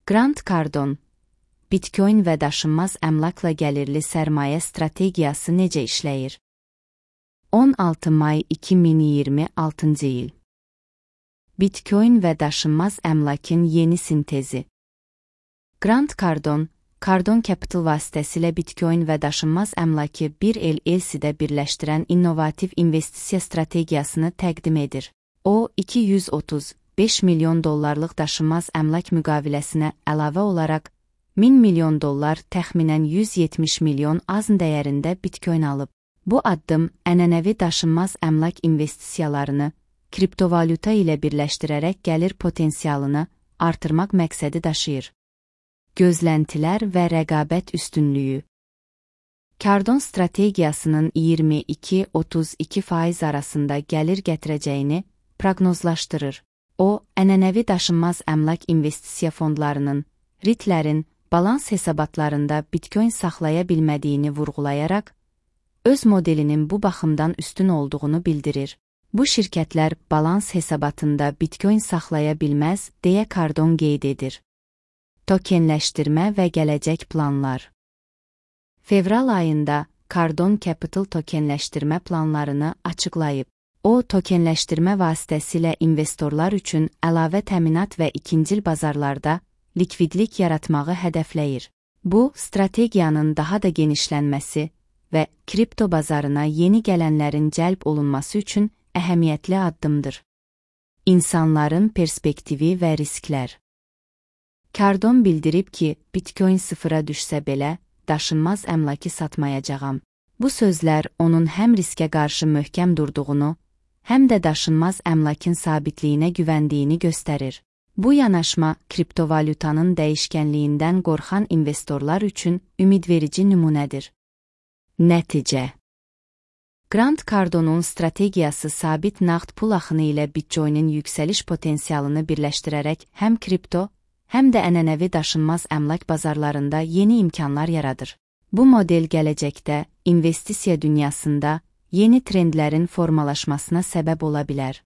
Grant Cardone, Bitcoin və daşınmaz əmlakla gəlirli sərmayə strategiyası necə işləyir? 16 may 2026 il. Bitcoin və daşınmaz əmlakın yeni sintezi. Grant Cardone, Cardone Capital vasitəsilə Bitcoin və daşınmaz əmlakı bir LLC-də birləşdirən innovativ investisiya strategiyasını təqdim edir. O, $235 milyon daşınmaz əmlak müqaviləsinə əlavə olaraq $1000 milyon təxminən 170 milyon AZN dəyərində Bitcoin alıb. Bu addım ənənəvi daşınmaz əmlak investisiyalarını kriptovalyuta ilə birləşdirərək gəlir potensialını artırmaq məqsədi daşıyır. Gözləntilər və rəqabət üstünlüyü. Cardone strategiyasının 22-32% arasında gəlir gətirəcəyini proqnozlaşdırır. O, ənənəvi daşınmaz əmlak investisiya fondlarının, REIT-lərin balans hesabatlarında Bitcoin saxlaya bilmədiyini vurğulayaraq, öz modelinin bu baxımdan üstün olduğunu bildirir. Bu şirkətlər balans hesabatında Bitcoin saxlaya bilməz, deyə Cardone qeyd edir. Tokenləşdirmə və gələcək planlar. Fevral ayında Cardone Capital tokenləşdirmə planlarını açıqlayıb. O, tokenləşdirmə vasitəsilə investorlar üçün əlavə təminat və ikincil bazarlarda likvidlik yaratmağı hədəfləyir. Bu, strategiyanın daha da genişlənməsi və kripto bazarına yeni gələnlərin cəlb olunması üçün əhəmiyyətli addımdır. İnsanların perspektivi və risklər. Cardone bildirib ki, Bitcoin sıfıra düşsə belə, daşınmaz əmlakı satmayacağam. Bu sözlər onun həm riskə qarşı möhkəm durduğunu, həm də daşınmaz əmlakın sabitliyinə güvəndiyini göstərir. Bu yanaşma, kriptovalyutanın dəyişkənliyindən qorxan investorlar üçün ümidverici nümunədir. Nəticə. Grant Cardone'un strategiyası sabit nağd pul axını ilə Bitcoin'in yüksəliş potensialını birləşdirərək həm kripto, həm də ənənəvi daşınmaz əmlak bazarlarında yeni imkanlar yaradır. Bu model gələcəkdə investisiya dünyasında yeni trendlərin formalaşmasına səbəb ola bilər.